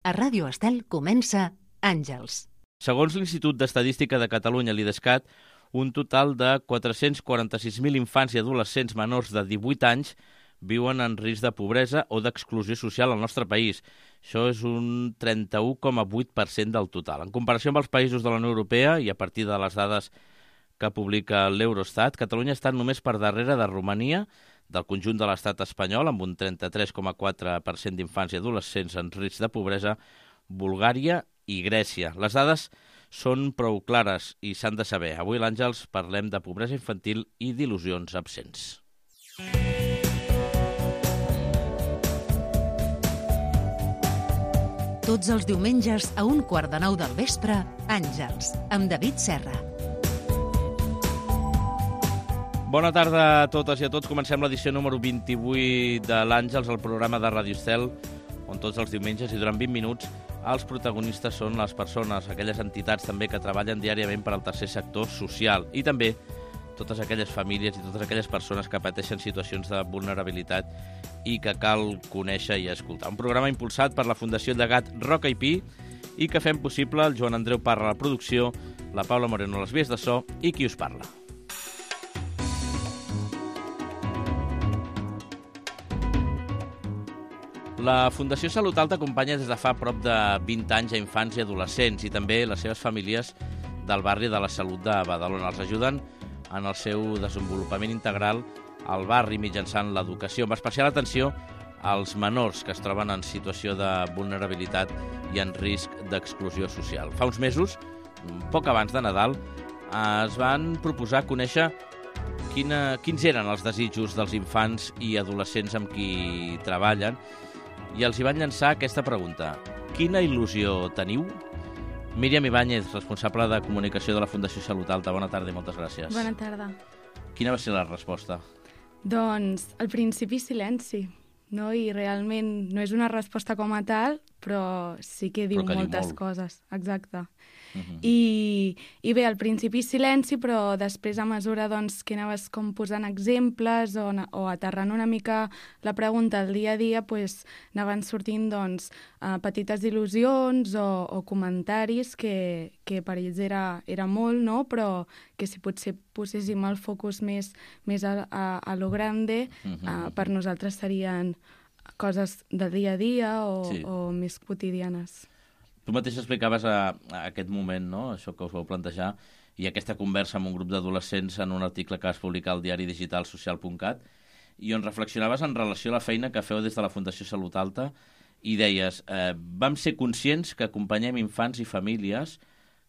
A Ràdio Estel comença Àngels. Segons l'Institut d'Estadística de Catalunya, l'IDESCAT, un total de 446.000 infants i adolescents menors de 18 anys viuen en risc de pobresa o d'exclusió social al nostre país. Això és un 31,8% del total. En comparació amb els països de la Unió Europea i a partir de les dades que publica l'Eurostat, Catalunya està només per darrere de Romania, del conjunt de l'estat espanyol, amb un 33,4% d'infants i adolescents en risc de pobresa, Bulgària i Grècia. Les dades són prou clares i s'han de saber. Avui a l'Àngels parlem de pobresa infantil i d'il·lusions absents. Tots els diumenges a 8:45 del vespre, Àngels, amb David Serra. Bona tarda a totes i a tots. Comencem l'edició número 28 de l'Àngels, el programa de Ràdio Estel, on tots els diumenges i durant 20 minuts els protagonistes són les persones, aquelles entitats també que treballen diàriament per al tercer sector social i també totes aquelles famílies i totes aquelles persones que pateixen situacions de vulnerabilitat i que cal conèixer i escoltar. Un programa impulsat per la Fundació Llegat Roca i Pi i que fem possible el Joan Andreu Parra a la producció, la Paula Moreno a les vies de so i qui us parla. La Fundació Salut Alta acompanya des de fa prop de 20 anys a infants i adolescents i també les seves famílies del barri de la Salut de Badalona. Els ajuden en el seu desenvolupament integral al barri mitjançant l'educació, amb especial atenció als menors que es troben en situació de vulnerabilitat i en risc d'exclusió social. Fa uns mesos, poc abans de Nadal, es van proposar conèixer quins eren els desitjos dels infants i adolescents amb qui treballen i els hi van llançar aquesta pregunta. Quina il·lusió teniu? Míriam Ibáñez, responsable de comunicació de la Fundació Salut Alta. Bona tarda i moltes gràcies. Bona tarda. Quina va ser la resposta? Doncs, al principi, silenci, no? I realment no és una resposta com a tal, però sí que diu moltes coses. Exacte. I bé, al principi silenci, però després a mesura que anaves com posant exemples o aterrant una mica la pregunta al dia a dia, anaven sortint petites il·lusions o comentaris que per ells era molt, no? Però que si potser poséssim el focus més a lo grande, per nosaltres serien coses del dia a dia o més quotidianes. Tu mateix explicaves a aquest moment, no?, això que us vau plantejar, i aquesta conversa amb un grup d'adolescents en un article que vas publicar al diari digital social.cat, i on reflexionaves en relació a la feina que feu des de la Fundació Salut Alta, i deies, vam ser conscients que acompanyem infants i famílies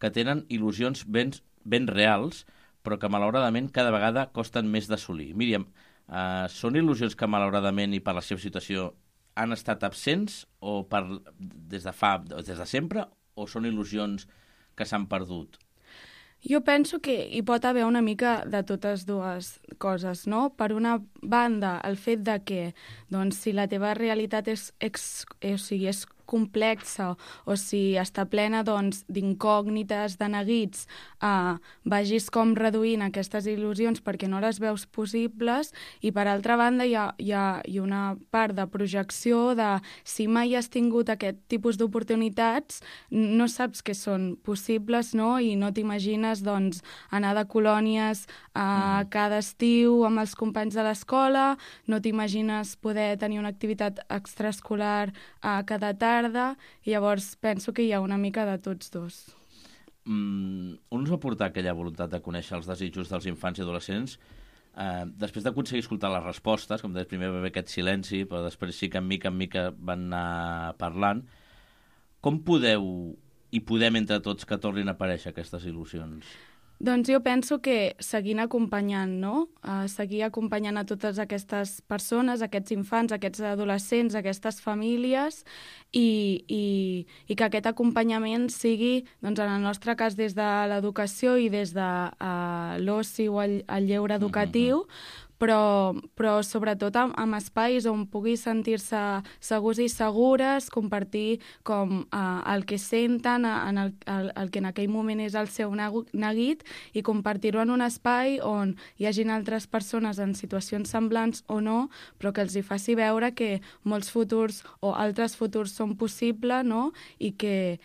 que tenen il·lusions ben reals, però que malauradament cada vegada costen més d'assolir. Míriam, són il·lusions que malauradament i per la seva situació han estat absents o des de sempre, o són il·lusions que s'han perdut? Jo penso que hi pot haver una mica de totes dues coses, no? Per una banda, el fet de que si la teva realitat és complexa o si està plena d'incògnites, de neguits, vagis com reduint aquestes il·lusions perquè no les veus possibles, i per altra banda hi ha una part de projecció de si mai has tingut aquest tipus d'oportunitats, no saps que són possibles, no? I no t'imagines anar de colònies cada estiu amb els companys de l'escola, no t'imagines poder tenir una activitat extraescolar cada tarda, i llavors penso que hi ha una mica de tots dos. On us va portar aquella voluntat de conèixer els desitjos dels infants i adolescents? Després d'aconseguir escoltar les respostes, com deies, primer va haver aquest silenci, però després sí que mica en mica van anar parlant. Com podem entre tots que tornin a aparèixer aquestes il·lusions? Doncs jo penso que seguint acompanyant, no? Seguir acompanyant a totes aquestes persones, aquests infants, aquests adolescents, aquestes famílies, i que aquest acompanyament sigui, en el nostre cas, des de l'educació i des de l'oci o el lleure educatiu, però sobretot amb espais on pugui sentir-se segurs i segures, compartir com el que senten, el que en aquell moment és el seu neguit, i compartir-ho en un espai on hi hagin altres persones en situacions semblants o no, però que els hi faci veure que molts futurs o altres futurs són possibles, no? I que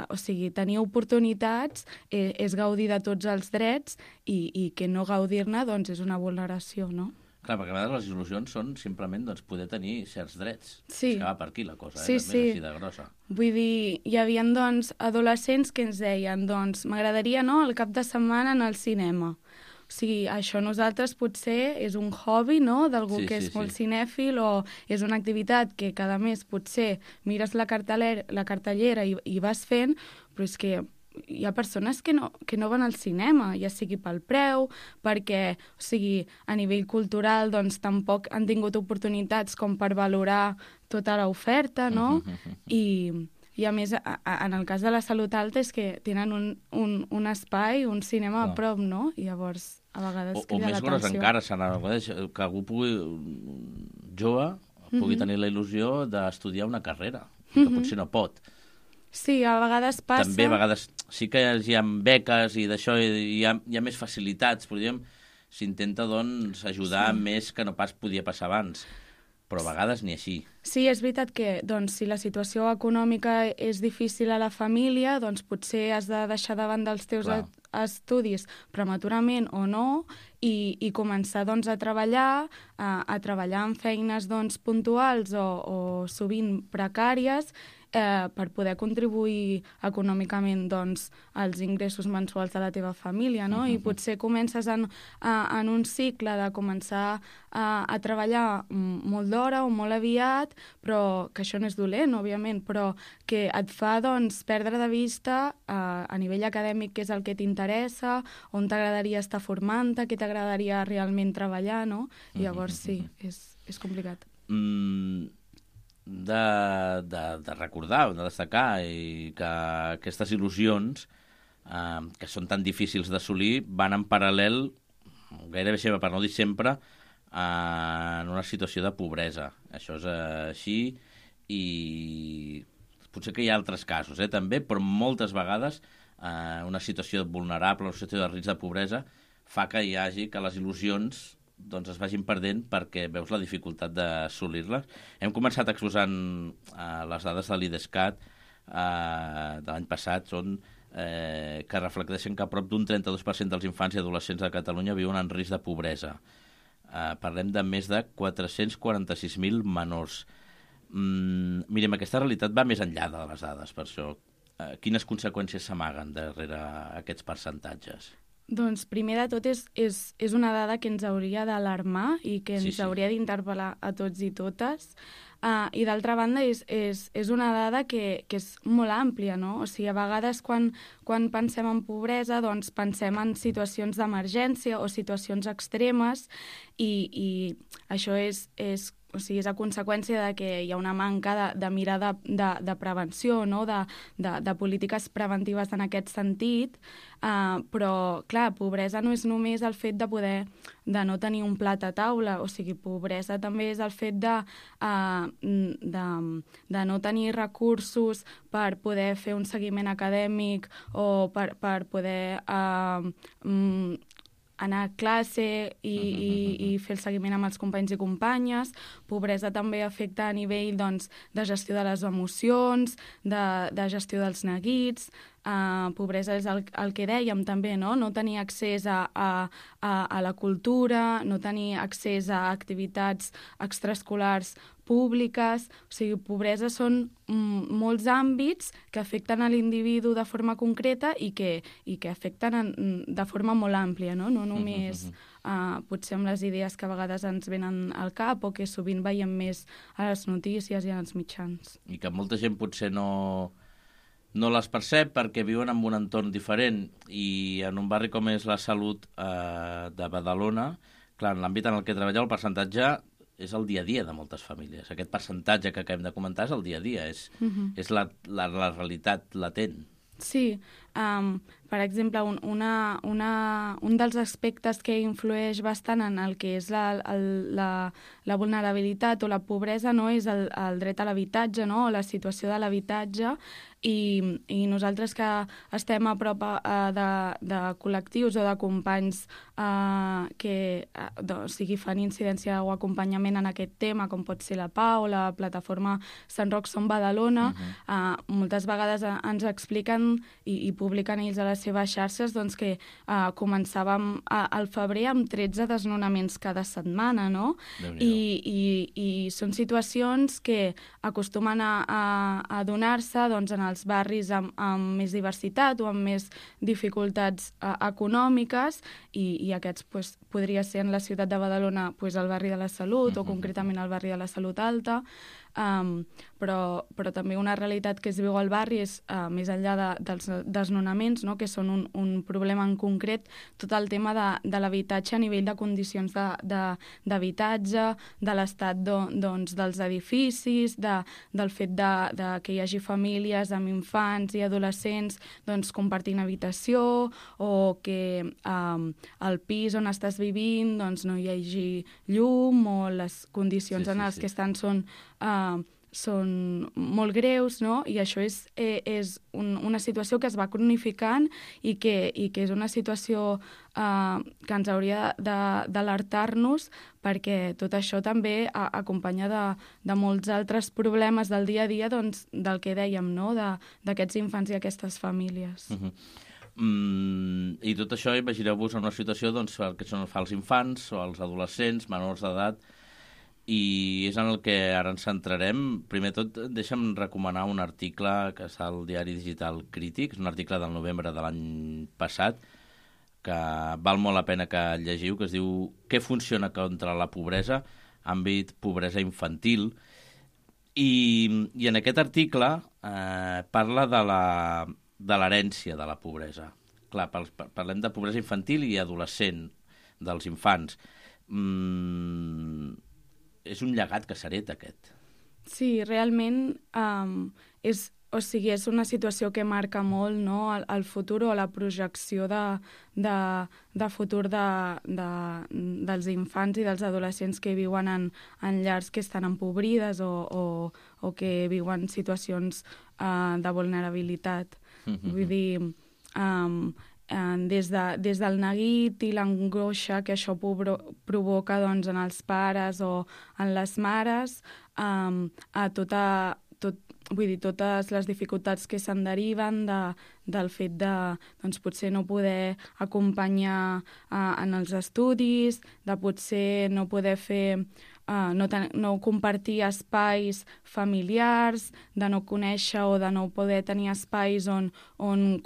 o sigui, tenir oportunitats és gaudir de tots els drets i que no gaudir-ne doncs, és una vulneració, no? Clar, perquè a vegades les il·lusions són simplement doncs, poder tenir certs drets. Sí. És que va per aquí la cosa, sí, també és així de grossa. Vull dir, hi havia doncs, adolescents que ens deien doncs, m'agradaria el cap de setmana anar al cinema. O sigui, això nosaltres potser és un hobby, no?, d'algú que és molt cinèfil, o és una activitat que cada mes potser mires la cartellera i vas fent, però és que hi ha persones que no van al cinema, ja sigui pel preu, perquè, o sigui, a nivell cultural doncs tampoc han tingut oportunitats com per valorar tota l'oferta, no? I a més, en el cas de la Salut Alta és que tenen un espai, un cinema a prop, no? I llavors a vegades crida l'atenció. O més gros encara, que algú jove pugui tenir la il·lusió d'estudiar una carrera, que potser no pot. Sí, a vegades passa... També a vegades sí que hi ha beques i d'això hi ha més facilitats, però diguem, s'intenta doncs ajudar més que no pas podia passar abans, però a vegades ni així. Sí, és veritat que doncs, si la situació econòmica és difícil a la família, doncs potser has de deixar de banda els teus estudis prematurament o no i començar doncs, a treballar en feines doncs, puntuals o sovint precàries per poder contribuir econòmicament doncs, als ingressos mensuals de la teva família, no? I potser comences en un cicle de començar a treballar molt d'hora o molt aviat, però que això no és dolent, òbviament, però que et fa doncs, perdre de vista a nivell acadèmic què és el que t'interessa, on t'agradaria estar formant-te, què t'agradaria realment treballar, no? I llavors sí, és complicat. De recordar, de destacar i que aquestes il·lusions que són tan difícils d'assolir van en paral·lel, gairebé sempre, per no dir sempre, en una situació de pobresa. Això és així i potser que hi ha altres casos també, però moltes vegades una situació vulnerable, una situació de risc de pobresa fa que hi hagi que les il·lusions doncs es vagin perdent perquè veus la dificultat d'assolir-les. Hem començat exposant les dades de l'IDESCAT de l'any passat, són que reflecteixen que a prop d'un 32% dels infants i adolescents de Catalunya viuen en risc de pobresa. Parlem de més de 446.000 menors. Mirem, aquesta realitat va més enllà de les dades, per això. Quines conseqüències s'amaguen darrere aquests percentatges? Doncs primer de tot és una dada que ens hauria d'alarmar i que ens hauria d'interpel·lar a tots i totes. I d'altra banda és una dada que és molt àmplia, no? O sigui, a vegades quan pensem en pobresa doncs pensem en situacions d'emergència o situacions extremes i això és a conseqüència de que hi ha una manca de mirada de prevenció, no? de polítiques preventives en aquest sentit, però, clar, pobresa no és només el fet de no tenir un plat a taula, o sigui, pobresa també és el fet de no tenir recursos per poder fer un seguiment acadèmic o per poder anar a classe i fer el seguiment amb els companys i companyes. Pobresa també afecta a nivell doncs, de gestió de les emocions, de gestió dels neguits. Pobresa és el que dèiem també, no? No tenir accés a la cultura, no tenir accés a activitats extraescolars públiques. O sigui, pobresa són molts àmbits que afecten a l'individu de forma concreta i que afecten de forma molt àmplia, no? No només potser amb les idees que a vegades ens venen al cap o que sovint veiem més a les notícies i als mitjans. I que molta gent potser no les percep perquè viuen en un entorn diferent i en un barri com és la Salut de Badalona, clar, en l'àmbit en el que treballeu el percentatge és el dia a dia de moltes famílies. Aquest percentatge que acabem de comentar és el dia a dia, és la realitat latent. Sí, per exemple, un dels aspectes que influeix bastant en el que és la vulnerabilitat o la pobresa, no, és el dret a l'habitatge, no, o la situació de l'habitatge, i nosaltres que estem a prop de col·lectius o de companys que fan incidència o acompanyament en aquest tema, com pot ser la PAU o la plataforma Sant Roc Som Badalona, moltes vegades ens expliquen i publiquen ells a les seves xarxes doncs, que començàvem al febrer amb 13 desnonaments cada setmana, no? I són situacions que acostumen a donar-se doncs, en els barris amb més diversitat o amb més dificultats econòmiques, i aquests podria ser en la ciutat de Badalona el barri de la Salut o concretament el barri de la Salut Alta, però també una realitat que es viu al barri és, més enllà dels desnonaments, no? Que són un problema en concret, tot el tema de l'habitatge a nivell de condicions d'habitatge, de l'estat dels edificis, del fet que hi hagi famílies amb infants i adolescents compartint habitació, o que al pis on estàs vivint no hi hagi llum, o les condicions en les que estan són molt greus, no? I això és una situació que es va cronificant i que és una situació que ens hauria d'alertar-nos, perquè tot això també acompanya de molts altres problemes del dia a dia, doncs, del que dèiem, no? D'aquests infants i aquestes famílies. I tot això, imagineu-vos en una situació que són els infants o els adolescents menors d'edat, i és en el que ara ens centrarem. Primer tot, deixa'm recomanar un article que està al diari digital Crític, és un article del novembre de l'any passat, que val molt la pena que el llegiu, que es diu «Què funciona contra la pobresa? Àmbit pobresa infantil». I en aquest article parla de l'herència de la pobresa. Clar, parlem de pobresa infantil i adolescent, dels infants. És un llegat que s'hereta, aquest. Sí, realment és una situació que marca molt, no, el futur o la projecció de futur dels infants i dels adolescents que viuen en llars que estan empobrides o que viuen situacions de vulnerabilitat. Vull dir, des del neguit i l'angoixa que això provoca doncs, en els pares o en les mares, a totes les dificultats que se'n deriven del fet de potser no poder acompanyar en els estudis, de potser no poder fer no compartir espais familiars, de no conèixer o de no poder tenir espais on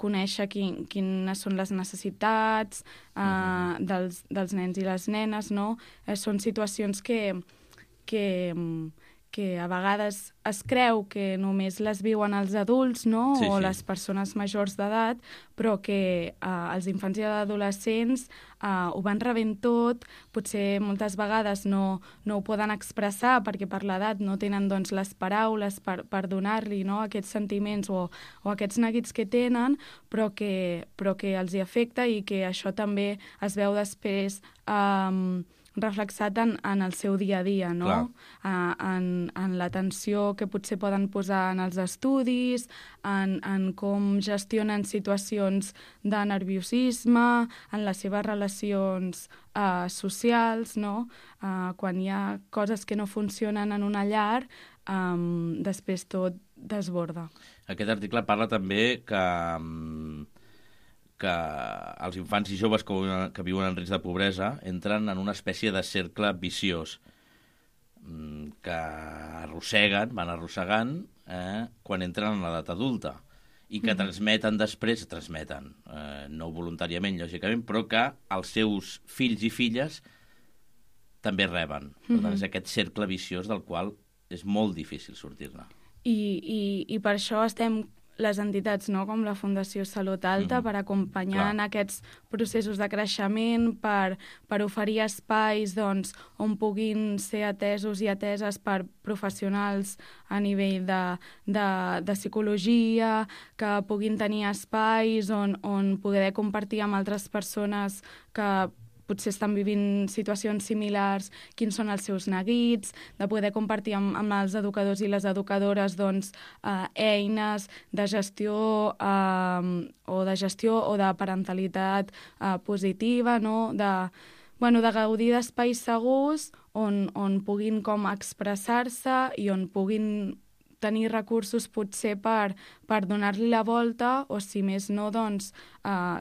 conèixer quines són les necessitats dels nens i les nenes, no? Són situacions que a vegades es creu que només les viuen els adults, no? Sí. O les persones majors d'edat, però que els infants i adolescents ho van rebent tot, potser moltes vegades no ho poden expressar perquè per l'edat no tenen doncs, les paraules per donar-li, no? Aquests sentiments o aquests neguits que tenen, però que els hi afecta, i que això també es veu després reflexat en el seu dia a dia, no? En l'atenció que potser poden posar en els estudis, en com gestionen situacions de nerviosisme, en les seves relacions socials, no? Quan hi ha coses que no funcionen en una llar, després tot desborda. Aquest article parla també que els infants i joves que viuen en risc de pobresa entren en una espècie de cercle viciós que van arrossegant quan entren en l'edat adulta, i que transmeten després, no voluntàriament, lògicament, però que els seus fills i filles també reben. Per tant, és aquest cercle viciós del qual és molt difícil sortir-ne. I per això estem les entitats, no?, com la Fundació Salut Alta, per acompanyar en aquests processos de creixement, per oferir espais doncs, on puguin ser atesos i ateses per professionals a nivell de psicologia, que puguin tenir espais on poder compartir amb altres persones que potser estan vivint situacions similars, quins són els seus neguits, de poder compartir amb els educadors i les educadores doncs, eines de gestió o de parentalitat positiva, no? De gaudir d'espais segurs on puguin com expressar-se i on puguin tenir recursos potser per donar-li la volta o, si més no, doncs,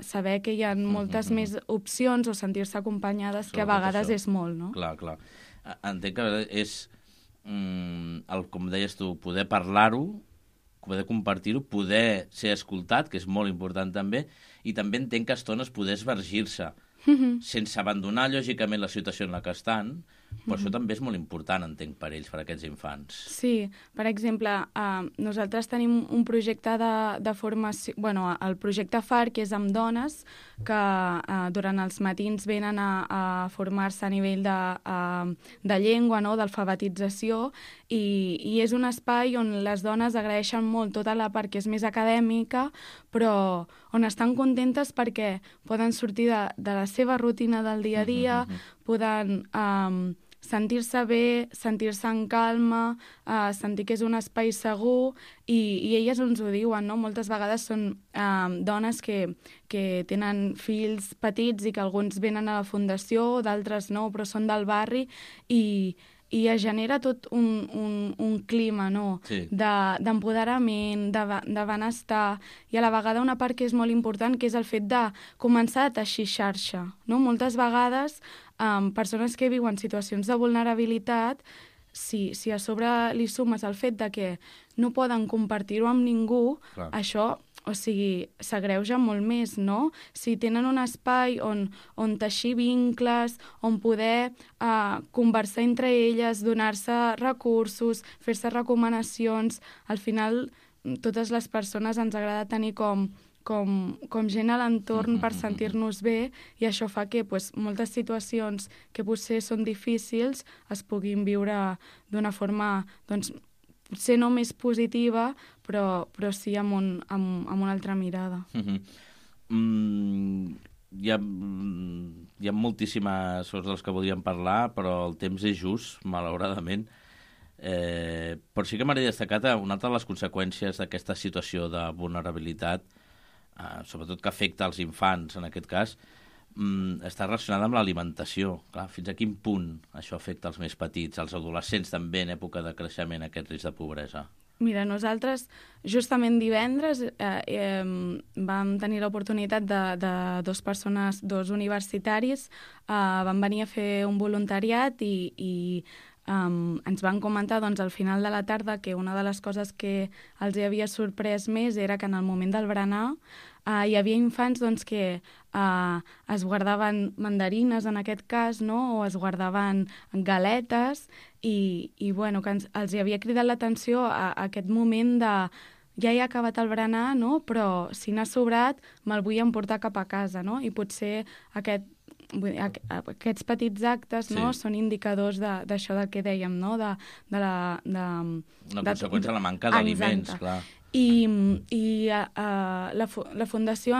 saber que hi ha moltes més opcions o sentir-se acompanyades, que a vegades és molt, no? Clar. Entenc que és, com deies tu, poder parlar-ho, poder compartir-ho, poder ser escoltat, que és molt important també, i també entenc que a estones poder esvergir-se, sense abandonar, lògicament, la situació en la que estan, però això també és molt important, entenc, per ells, per aquests infants. Sí, per exemple, nosaltres tenim un projecte de formació, el projecte FAR, que és amb dones, que durant els matins venen a formar-se a nivell de llengua, no?, d'alfabetització, i és un espai on les dones agraeixen molt tota la part que és més acadèmica, però on estan contentes perquè poden sortir de la seva rutina del dia a dia, poden sentir-se bé, sentir-se en calma, sentir que és un espai segur, i elles ens ho diuen, no? Moltes vegades són dones que tenen fills petits i que alguns venen a la fundació, d'altres no, però són del barri, i es genera tot un clima, no?, d'empoderament, de benestar, i a la vegada una part que és molt important, que és el fet de començar a teixir xarxa, no? Moltes vegades persones que viuen situacions de vulnerabilitat, si a sobre li sumes el fet de que no poden compartir-ho amb ningú, això, o sigui, s'agreuja molt més, no? Si tenen un espai on teixir vincles, on poder conversar entre elles, donar-se recursos, fer-se recomanacions, al final totes les persones ens agrada tenir com gent a l'entorn per sentir-nos bé, i això fa que moltes situacions que potser són difícils es puguin viure d'una forma, doncs, potser no més positiva, però sí amb una altra mirada. Hi ha moltíssimes coses dels que podríem parlar, però el temps és just, malauradament. Però sí que m'agradaria destacar una altra de les conseqüències d'aquesta situació de vulnerabilitat, sobretot que afecta als infants, en aquest cas, està relacionada amb l'alimentació. Clar, fins a quin punt això afecta els més petits, els adolescents també en època de creixement, aquest risc de pobresa? Mira, nosaltres justament divendres vam tenir l'oportunitat de dos universitaris, van venir a fer un voluntariat i ens van comentar doncs, al final de la tarda que una de les coses que els havia sorprès més era que en el moment del berenar hi havia infants doncs, que es guardaven mandarines, en aquest cas, no? O es guardaven galetes, i bueno, que els hi havia cridat l'atenció a aquest moment de ja he acabat el berenar, no? Però si n'ha sobrat me'l vull emportar cap a casa, no? I potser aquests petits actes, no, són indicadors d'això del que dèiem, no? Una conseqüència de la manca d'aliments, clar. I la Fundació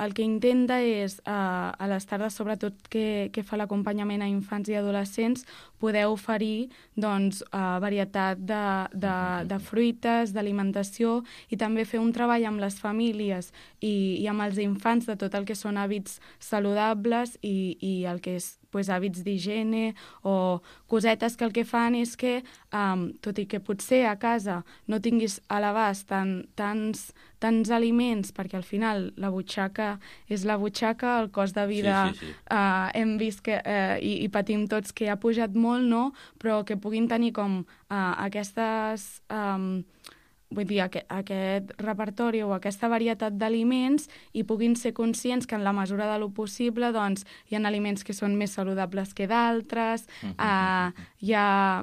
el que intenta és, a les tardes, sobretot que fa l'acompanyament a infants i adolescents, poder oferir doncs, varietat de fruites, d'alimentació, i també fer un treball amb les famílies i amb els infants de tot el que són hàbits saludables i el que és hàbits d'higiene o cosetes que el que fan és que, tot i que potser a casa no tinguis a l'abast tants aliments, perquè al final la butxaca és la butxaca, el cost de vida hem vist que, i patim tots que ha pujat molt, no? Però que puguin tenir com aquestes... vull dir, aquest repertori o aquesta varietat d'aliments, i puguin ser conscients que en la mesura de lo possible doncs, hi ha aliments que són més saludables que d'altres, hi ha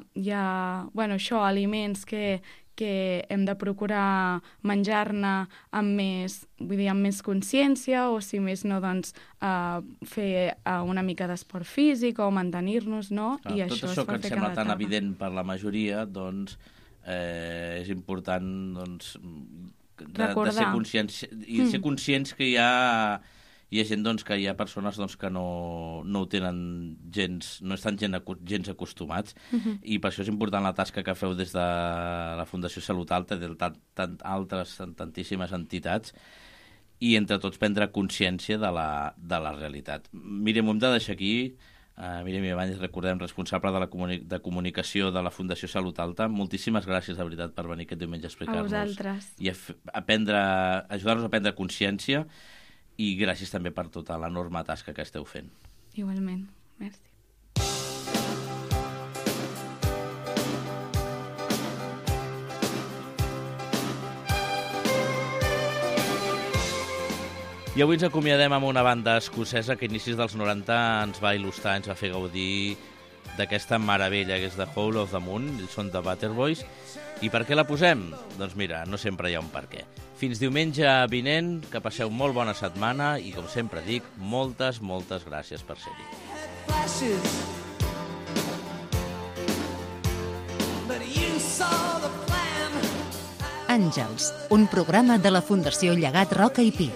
aliments que que hem de procurar menjar-ne amb més consciència, o si més no, doncs, fer una mica d'esport físic o mantenir-nos, no? I tot això que ens sembla tan evident per la majoria, doncs, és important, doncs, de ser conscients, i ser conscients que hi ha gent, doncs, que hi ha persones, doncs, que no ho tenen gens, no estan gens acostumats, i per això és important la tasca que feu des de la Fundació Salut Alta, de tantíssimes entitats, i entre tots prendre consciència de la realitat. Míriam, ho hem de deixar aquí. Míriam Ibáñez, recordem, responsable de comunicació de la Fundació Salut Alta. Moltíssimes gràcies, de veritat, per venir aquest diumenge a explicar-nos. A vosaltres. I ajudar-nos a prendre consciència, i gràcies també per tota l'enorme tasca que esteu fent. Igualment. Merci. I avui ens acomiadem amb una banda escocesa que a inicis dels 90 ens va il·lustrar, ens va fer gaudir d'aquesta meravella que és The Hole of the Moon, són The Waterboys. I per què la posem? Doncs mira, no sempre hi ha un per què. Fins diumenge vinent, que passeu molt bona setmana i, com sempre dic, moltes gràcies per ser-hi. Àngels, un programa de la Fundació Llegat Roca i Pi.